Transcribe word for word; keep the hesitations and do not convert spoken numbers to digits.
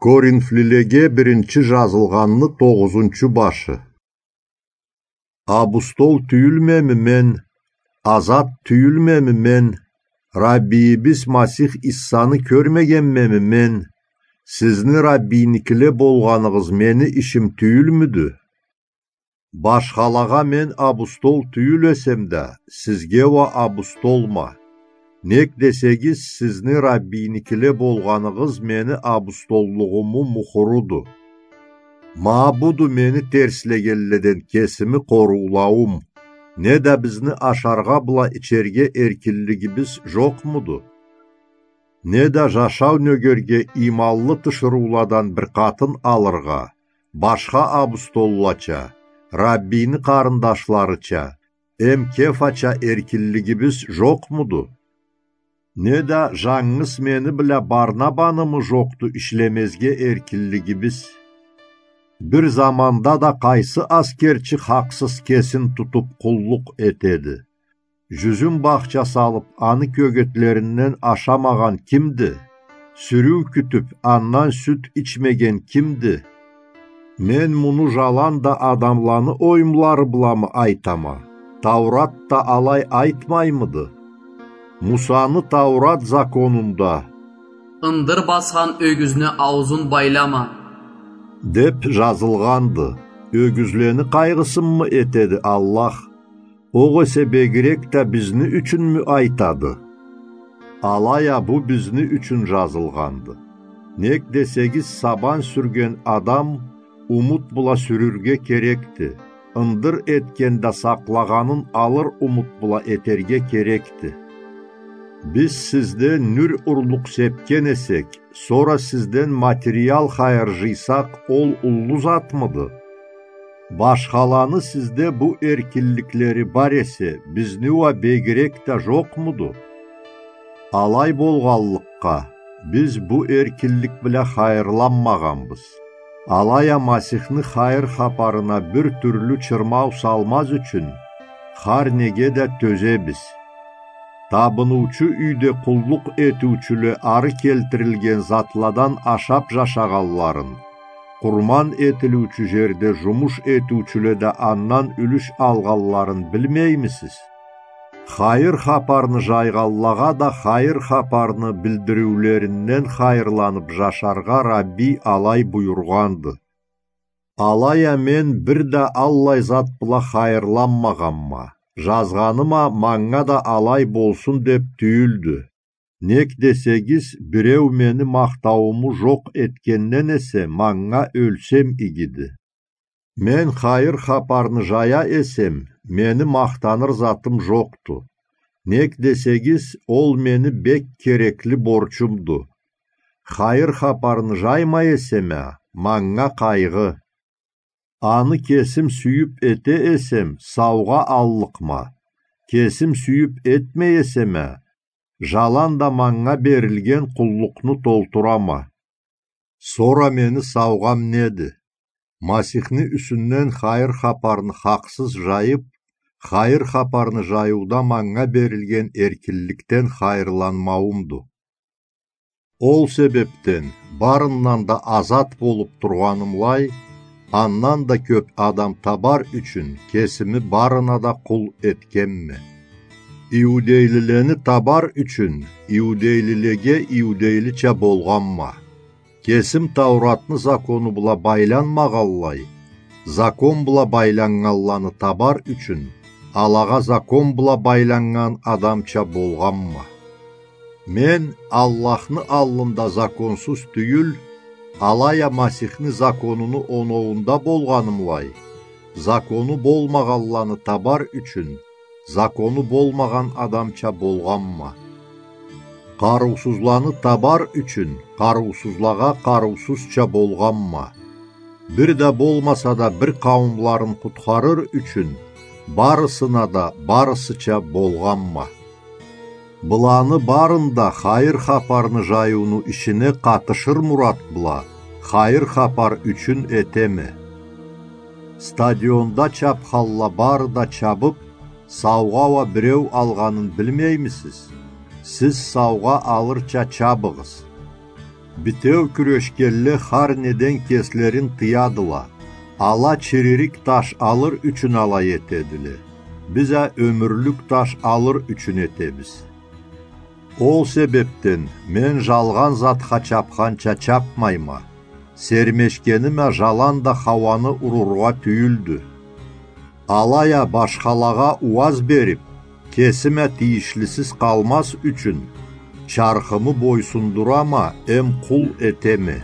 Коринфлилеге биринчи жазылгъанны тогъузунчу башы. Абустол тюйюлмеми мен, азат тюйюлмеми мен, Раббийибиз Масих Иссаны кёрмегенмеми мен? Сизни Раббийникиле болгъаныгъыз мени ишим тюйюлмюдю? Башхалагъа мен абустол тюйюл эсем да, сизге уа абустолма. Нек десегиз, сизни Раббийникиле болгъаныгъыз мени абустоллугъуму мухуруду. Ма буду мени терслегенледен кесими къоруулауум, неда бизни ашаргъа бла ичерге эркинлигибиз жокъмуду? Неда жашау нёгерге иманлы тиширыуладан бир къатын алыргъа, башха абустоллача, Раббийни къарындашларыча, эм Кефача эркинлигибиз жокъмуду? Неда жангыз мени бла Барнабанымы жокъду ишлемезге эркинлигибиз? Бир заманда да къайсы аскерчи хакъсыз кесин тутуп къуллукъ этеди? Жюзюм бахча салып, аны кёгетлеринден ашамагъан кимди? Сюрюу кютюп, андан сют ичмеген кимди? Мен муну жаланда адамланы оюмлары бламы айтама? Таурат да алай айтмаймыды? Мусаны Таурат законунда: «Ындыр басхан ёгюзню ауузун байлама», — деп жазылгъанды. Ёгюзлени къайгъысынмы этеди Аллах? Огъесе бегирек да бизни ючюнмю айтады? Алай а бу бизни ючюн жазылгъанды. Нек десегиз, сабан сюрген адам умут бла сюрюрге керекди. Ындыр этген да сакълагъанын алыр умут бла этерге керекди. Биз сизден нюр урлукъ сепген эсек, сора сизден материал хайыр жыйсакъ, ол уллу затмыды? Башхаланы сизде бу эркинликлери бар эсе, бизни уа бегирек да жокъмуду? Алай болгъанлыкъгъа, биз бу эркинлик бла хайырланмагъанбыз. Алай а Масихни хайыр хапарына бир тюрлю чырмау салмаз ючюн, хар неге да тёзебиз. Табыныучу юйде къуллукъ этиучюле ары келтирилген затладан ашап жашагъанларын, къурман этилиучю жерде жумуш этиучюле да андан юлюш алгъанларын билмеймисиз? Хайыр хапарны жайгъанлагъа да хайыр хапарны билдириулеринден хайырланып жашаргъа Рабби алай буюргъанды. Алай а мен бир да аллай зат бла хайырланмагъанма, жазгъаным а манга да алай болсун деп тюйюлдю. Нек десегиз, биреу мени махтаууму жокъ этгенден эсе, манга ёлсем игиди. Мен хайыр хапарны жая эсем, мени махтаныр затым жокъду. Нек десегиз, ол мени бек керекли борчумду. Хайыр хапарны жаймай эсем а, манга къайгъы. Аны кесим сюйюп эте эсем, саугъа аллыкъма. Кесим сюйюп этмей эсем а, жаланда манга берилген къуллукъну толтурама. Сора мени саугъам неди? Масихни юсюнден хайыр хапарны хакъсыз жайып, хайыр хапарны жайыуда манга берилген эркинликден хайырланмауумду. Ол себепден, барындан да азат болуп тургъанымлай, андан да кёп адам табар ючюн кесими барына да къул этгенме. Иудейлилени табар ючюн иудейлилеге иудейлича болгъанма. Кесим Тауратны закону бла байланмагъанлай, закон бла байланнганланы табар ючюн, алагъа закон бла байланнган адамча болгъанма. Мен Аллахны аллында законсуз тюйюл, алай а Масихни законуну оноуунда болгъанымлай, закону болмагъанланы табар ючюн, закону болмагъан адамча болгъанма. Къарыусузланы табар ючюн, къарыусузлагъа къарыусузча болгъанма. Бир да болмаса да бир къауумларын къутхарыр ючюн, барысына да барысыча болгъанма. Быланы барын да хайыр хапарны жайыуну ишине къатышыр мурат бла, хайыр хапар ючюн этеме. Стадионда чапханла бары да чабып, саугъа уа биреу алгъанын билмеймисиз? Сиз саугъа алырча чабыгъыз. Битеу кюрешгенле хар неден кеслерин тыядыла. Ала чиририк таш алыр ючюн алай этедиле. Биз а ёмюрлюк таш алыр ючюн этебиз. Ол себебден мен жалгъан затха чапханча чапмайма. Сермешгеним а жаланда хауаны урургъа тюйюлдю. Алай а башхалагъа ууаз берип, кесим а тийишлисиз къалмаз ючюн, чархымы бойсундурама эм къул этеме.